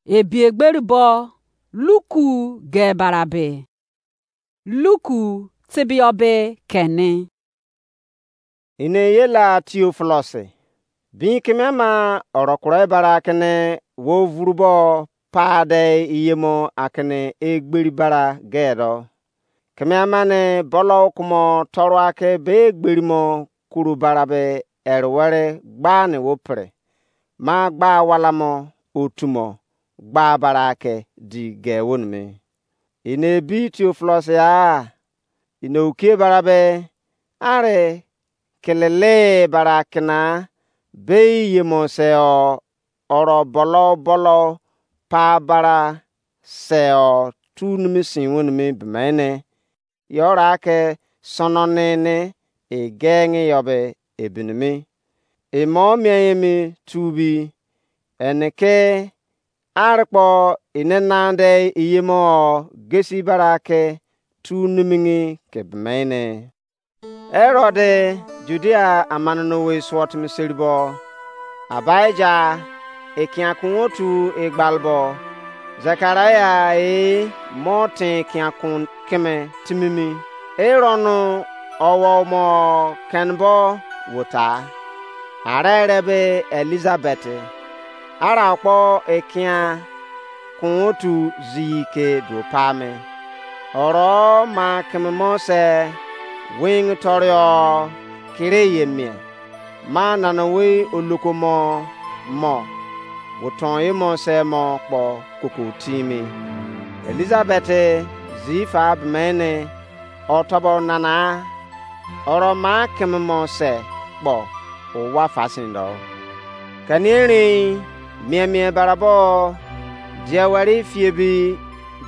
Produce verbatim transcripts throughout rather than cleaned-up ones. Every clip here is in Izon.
Ebi egberi bo Luku ge barabe. Luku tibio be keni. Ine ye la Theophilus, bin keme ama oro kuro bara kene wo vuru bo pa de iyemo akene egberi bara ge do. Keme ama ne bolo kumo toru ake be egberi mo kuru bara be ere were gba ne wo pre. Ma gba wala mo otu mo gba bara ake di ge wo nimi. Ine bi Theophilus ya, ine ukie bara be, are kelele bara kena be yemo se o, oro bolo bolo pa bara se o, tu nimi sin wo nimi bemene, yora ke sono nene e genge yo be ebinimi. E mo mien emi tu bi, ene ke are kpo ine nande iyemo gesi bara ke tu nimini ke bemene. Herod Judea amane no we suo timi seribo, Abaija ekiankun otu egbalbo, Zekaria e mo ten ekiankun keme timimi. Eronu owo mo kenbo wota. Are ere be Elizabeth, ara kpo ekian kun otu ziyi ke duo pa me. Oro ma keme mo se wing torio kire ye mie. Ma nana wei oloko mo mo, woton ye mo se mo kpo koko timi. Elizabeth zi fa bemene, otobo nana, oro ma keme mo se kpo owa fasin do. Kani erin mie mie barabo dia wari fie bi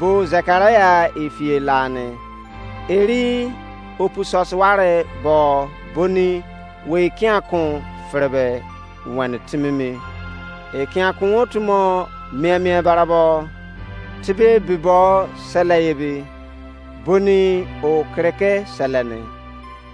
bo Zekaria efie lane. Eri opu sọsịwarị bọ boni wei kiankun fịrịbe weni timi mi. Ekiankun otu mo mien mien barabọ tibe bibọ sele ebi, boni o kiriki seleni.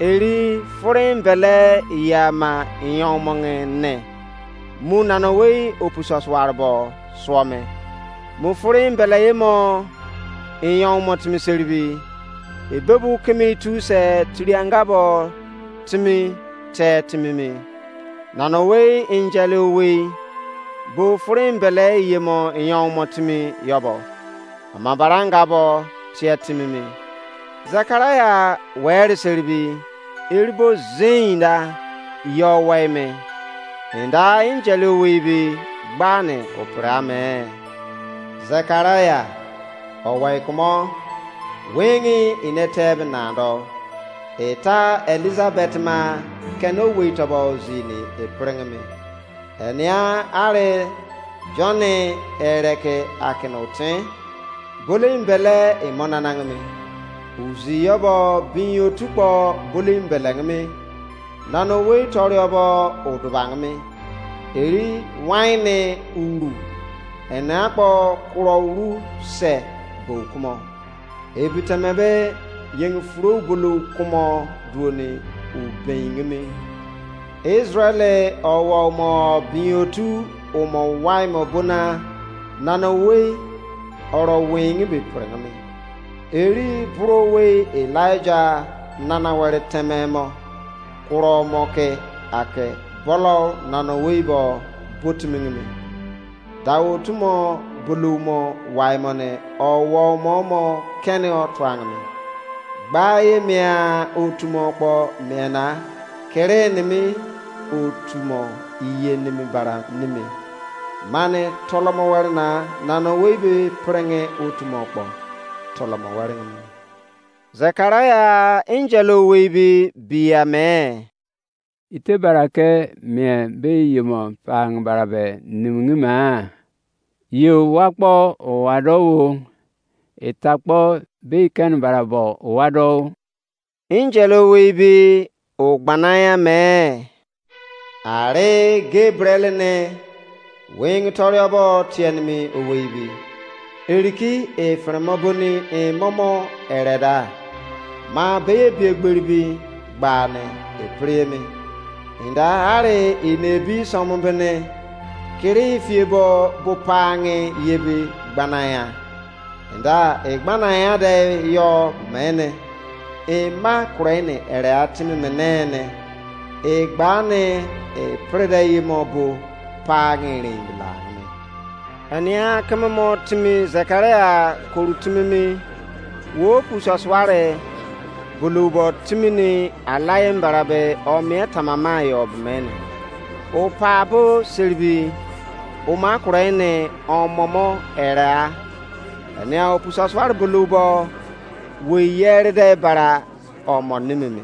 Eri furin bele yama yonmongin ne. Mu nanowei opu sọsịwarị bọ suo me. Mu furin bele ye mo iyonmọ timi seribi, ebebu kimi tu se tiri anga bo timi te timi mi. Nanowei enjele owei bo furin bele ye mo iyonmọ timi yobo, ama bara anga bo tie timi mi. Zekaria weri seribi, eri bo zein da yo wei me. Enda enjele owei bi gbani opira me. Zekaria, owei kumo, wengi inete binando. Eta Elizabeth ma kene owei tobo zini epiringimi. Enia ari Johnny ereke akinotin. Boli mbele imo nanangimi. Uzi yobo bin otu kpo boli mbelengimi. Nana owei toriobo udubangimi. Eri waini uru ena kpo kuro uru se bo kumo. Ebiteme be yeng furu bulu kumo duoni ubeingimi. Israel owo mo bin otu umo wai mo bona nana owei oro weingi be pirengimi. Eri buro owei Elijah nana were teme mo kuro mo ke ake bolo nana owei bo botimingimi. Dawo tumo bulumo waimone owo mo mo kene otuangmi. Gba ye mia otumo kpo miena kere nimi otumo iye nimi bara nimi. Mane tolomo were na nana owei be prenge otumo kpo tolomo were nimi. Zekaria angel owei be bia me. Ite bara ke mien be yemo pang bara be nimngi ma? Ye owa kpo owa do wo, eta kpo be iken bara bo owa do wo. Angel owei be o gbananya me. Are Gabriel ne wing toriobo tienimi owei bi. Eriki e fremo boni e momo ereda. Ma beye bi egberi bi gbane e priemi. Inda are e ne bi somo bene. Kiri fie bo bo pa ngi ye bi gbana ya. Enda e gbana ya de yo mene. E ma kure ni ere a timi mene ne. E gba ni e pre de ye mo bo pa ngi rin bila ni. Ania keme mo timi Zekaria koru timi mi. Wo pu sasuare bulu bo timi ni alaye mbara be o mie tamama yo bemene. O pa bo siribi o ma kure ne o momo era. Ania o pu sasuare bulu bo we yere de bara o mo nimimi.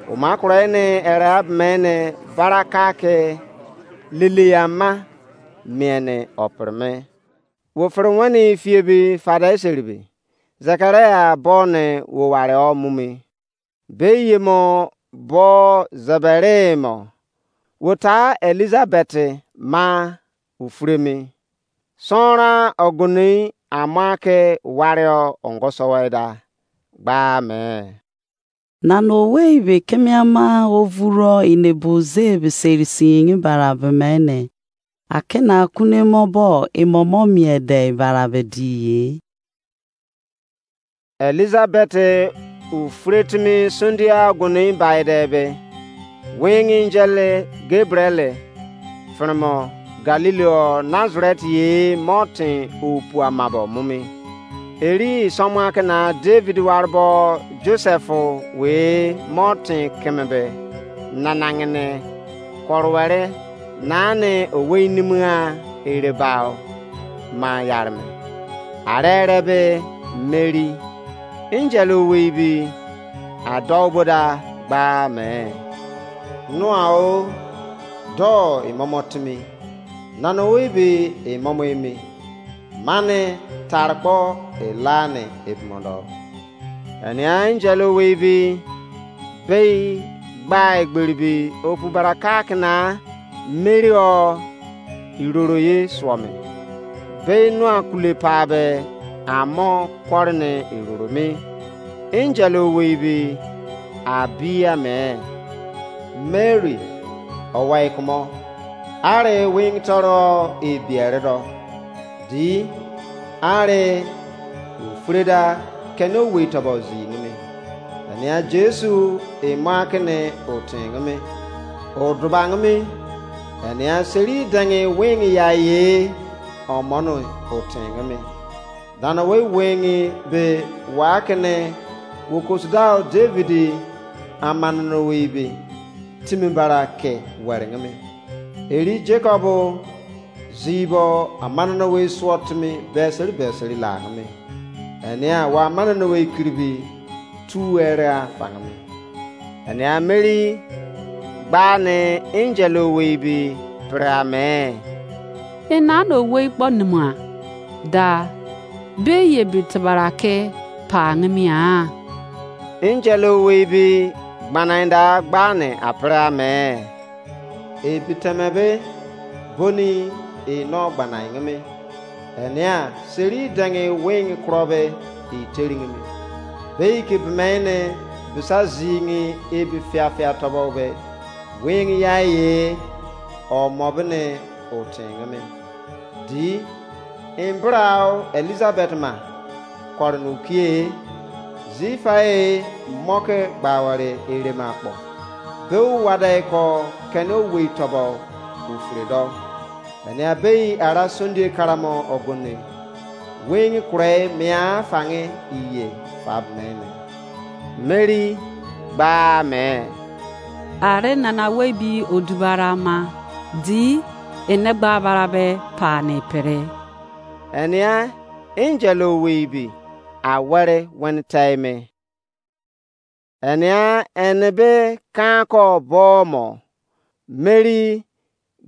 O ma kure ne era bemene bara ka ke lili ama mie ne o pre me. Wo fere wene fie bi fada eseri bi. Zekaria bo ne wo ware o mumi. Be ye mo bo zebere mo. Wo ta Elizabeth ma ufuremi. Sonra oguni ama ke ware o ongo soweda. Gba me. Nana owei be keme ama ovuro inebo ze be seri singin bara be mene. Akena kune mo bo imomo mie de bara be di ye. Elizabeth ufretimi sundia guni baide be. Wing angel Gabriel firmo Galileo Nazareth ye mo tin opu amabo mumi. Eri somo akena David warbo Joseph we mo tin keme be nanangene korowere nane owei nimua erebao ma yarme. Are ere be Mary, angel owei bi adou boda gba me. Noa o, do imomo timi. Nana owei bi imomo emi. Mane tarkpo elane ebimodo. Enia angel owei bi bei gba egberi bi opu baraka kena Mary o iroro ye suo me. Bei nua kule pa be amo kore ne iroro me. Angel owei bi abi ame. Mary, owai kumo. Are wing toro ebiere do. Di are ofreda kene owei tobo zi nimi. Enia Jesu emo akene otin nimi. Oduba nimi. Enia seri dangi wing ya ye omono otin nimi. Dana we wing be wa kene wo kosudao David amanano we be timi bara ke were nimi. Eri Jacob zibo amanano we suo timi beseri beseri la nimi. Enia wa amanano we kiribi tu ere afangimi. Enia Mary gba ne angel owei bi pre ame. Ina no owei kpo nima da be ye bi tebara ke pa ngimia. Angel owei bi gbanainda gba ne apre ame. Ebiteme be boni e no gbanaingimi. Enia seri dangi wing kuro be e teringimi. Be ke bemene bisa zingi ebi fiafia tobo be wing ya ye o mobene o tingimi. Di embrao Elizabeth ma koronu kie zifae moke gbaware erema kpo. Be uwada ko kene owei tobo ufredo. Enia bei ara Sunday karamo ogoni. Wing kure mia fange iye fabmene. Mary gba me. Are nana wei bi odubara ma di ene gba bara be pa ne pere. Enia angel owei bi awere wen taime. Enia ene be kanko bomo Mary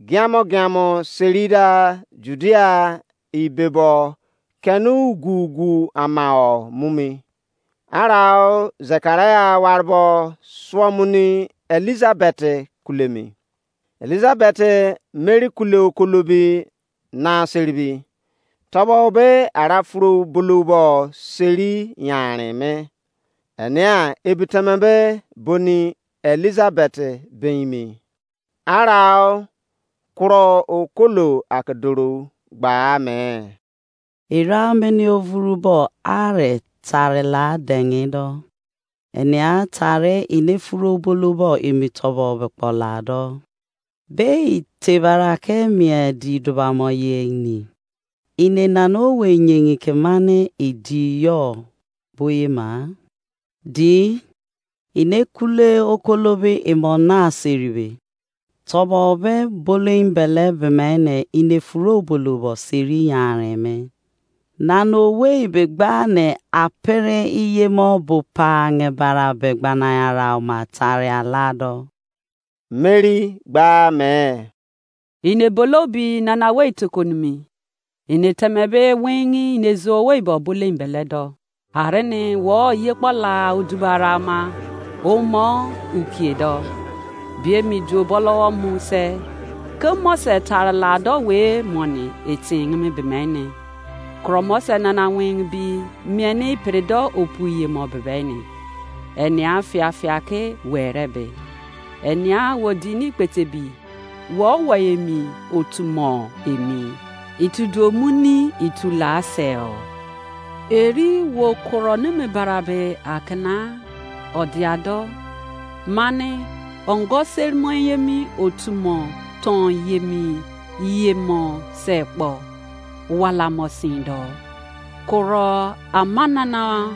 giamo giamo serida Judea ibebo kenu ugu ugu amao mumi. Arao Zekaria warbo suomuni Elizabeth kulemi. Elizabeth Mary kule okolobi na seribi. Tobo be ara furu bulubo seri yanrin me. Enia ebiteme be boni Elizabeth beimi. Arao kuro okolo ake doro gba me. Ira mene ovuru bo are tare la denge do. Enea tare ine furu obolo bo emi tobo be kpo la do. Be itebara ke mie di dubamo ye ini. Ine nana owe nyegin ke mane idi yo boye ma. Di ine kule okolobe emo na seribe. Tobo be bolein bele bemene ine furu obolo bo seri yaren me. Nana owei be gba ne apere iye mo bo pa nge bara be gbana ara ma tare alado. Mary gba me. Ine bolobi nana wei tokonimi. Ine temebe wingi ine zuo wei bo bolein bele do. Arene wo ye kpola udubara ma. Omo ukie do. Bie mi duo bolo mu se. Ke mo se tare la do we moni eting mi bemene. Kuro mo se nana wing bi mieni pere do opu ye mo bebene. Enia fia fia ke were be. Enia wo dini kpete bi. Wo wo emi otu mo emi. Itu duo mu ni itu la se o. Eri wo kuro nimi bara be akena odiado. Mane ongo sermon yemi otu mo ton yemi ye mo se kpo. Wala mo sin do. Kuro amanana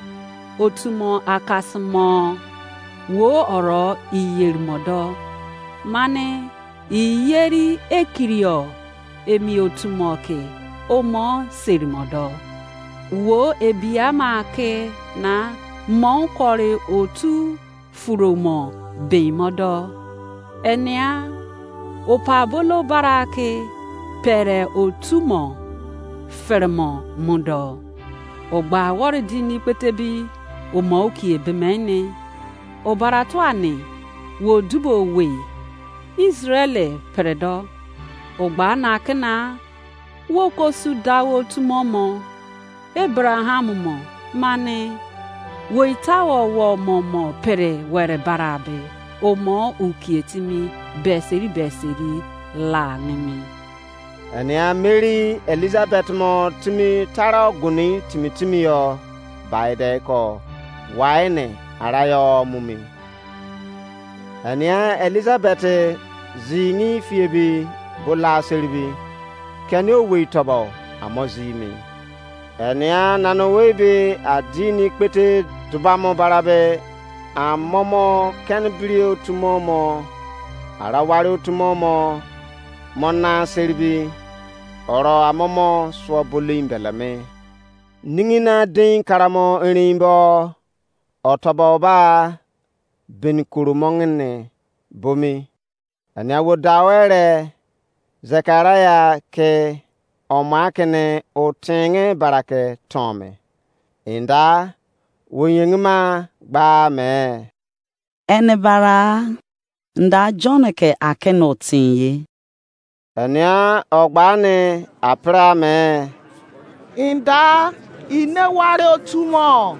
otu mo akasi mo wo oro iyeri mo do. Mane iyeri ekirio emi otu mo ke omo seri mo do. Wo ebi ama ke na mo kore otu furo mo ben mo do. Enia opa bolo bara ke pere otu mo fere mo mu do. Ogba wori dini kpete bi omo ukie bemene. Obara tua ni wo dubo wei. Israel pere do. Ogba na kena wo ko su da wo tumo mo. Abraham mo mane wo ita wo wo mo mo pere were bara be. Omo ukie timi beseri beseri la nimi. Enia Mary Elizabeth mo timi tara oguni timi timi yo bai de ko wai ne ara yo mumi. Enia Elizabeth zingi fiebi bo la seribi keni owei tobo amo zimi. Enia nana owei be adini kpete dubamo barabe amomo keni biri otumo mo ara wari otumo mo mo na seribi oro amomo suo bolim beleme. Ningi na dein karamo erein bo otobo ba beni koro mongene bomi. Ania wo dawere Zekaria ke oma kene o tenge barake tome. Inda wo yengima gba me. Ene bara nda John ke akene o tin ye. Enia ogba ne apra me. Inda ine ware otu mo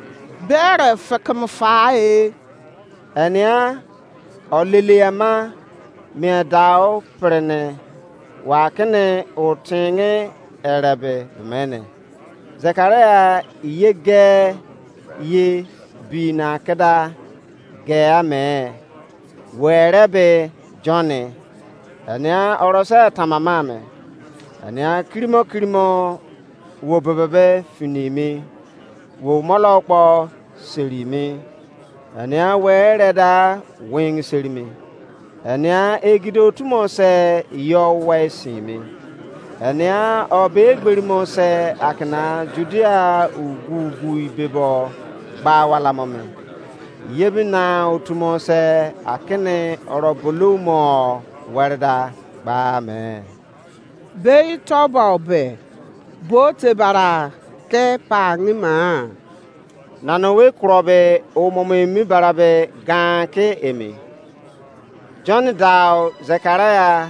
bere fekem fa e. Enia olele ama mie dao prene wa kene o tenge erebe mene. Zekaria ye ge ye bi na keda ge ame. Were be Johnny. Enia orose tamama me. Enia kirimo kirimo wo bebebe finimi. Wo molo kpo serimi. Enia were da wing serimi. Enia egido tumo se yo we simi. Enia obe gberimo se akina Judea ugu ugu ibebo gba wala mo me. Yebi na otumo se akini orobulumo wereda gba me. Bei tobo be bo te bara ke pa ngima. Nana we kuro be omomo emi bara be gan ke emi. John dao Zekaria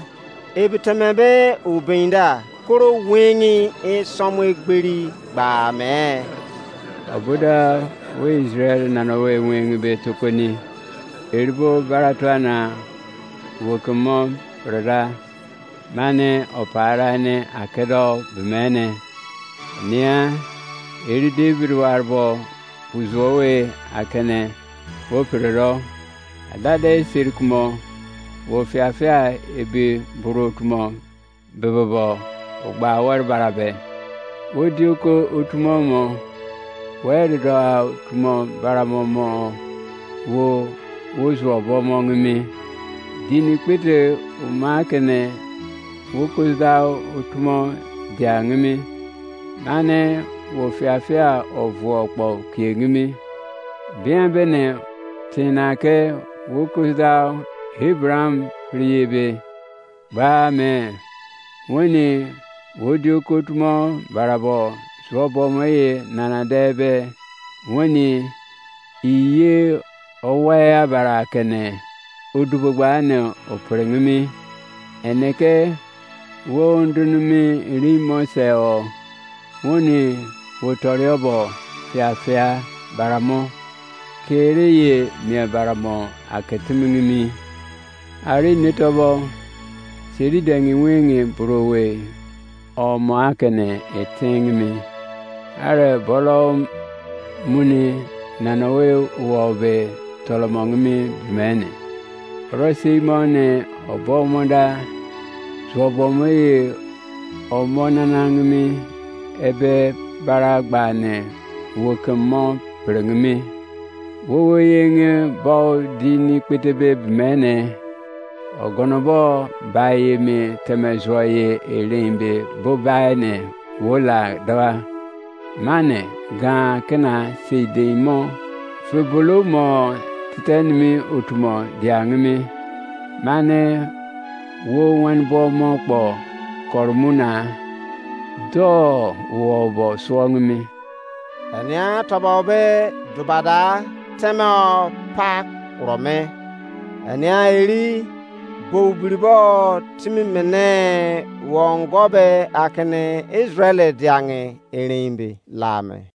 ebi teme be ubinda koro wengi e somo egberi gba me. Obuda we Israel nana we wengi be tokoni. Eribo baratuana wo kemo rada. mane opara ne akedo bemene. Nia, eri David warbo buzuowe akene wo pere ro, adade seri kumo wo fiafia ebi buru otumo bebebo ogba were barabe. Wo dioko otumo mo, were do otumo baramo mo wo wo zuo bo mo ngimi. Dini kpete uma kene wo kozda otumo dia ngimi. Mane wo fiafia ovuo kpo kie ngimi. Bia bene tina ke wo kozda Abraham priye be. Gba me, weni wo di okotumo barabo zuo bomo ye nana de be, weni iye owaya bara kene odubogba ne operenimi. Eneke wo ndunimi rimo se o, weni wo toriobo fiafia baramo kere ye mie baramo aketimingimi. Ari netobo seri dengi wingi burowe omo akene etingimi. Are bolo muni nanowe wobe tolomongimi bimene. Oro sei mo ne obo mo da zuobo mo ye omo nanangimi ebe bara gba ne wokem mo pirengimi. Wowo yenge bo di ni kpetebe bimene, ogonobo bai emi teme zuo ye erein be bo bai ne wo la dua. Mane gan kena sei dein mo febolo mo titenimi otumo diangimi. Mane wo wenbo mo kpo koromuna do wo bo suongimi. Enia tobo be dubada teme o pa kuro me. Enia eri bou biribo timi mene wongo be akene Israel diange erein be la me.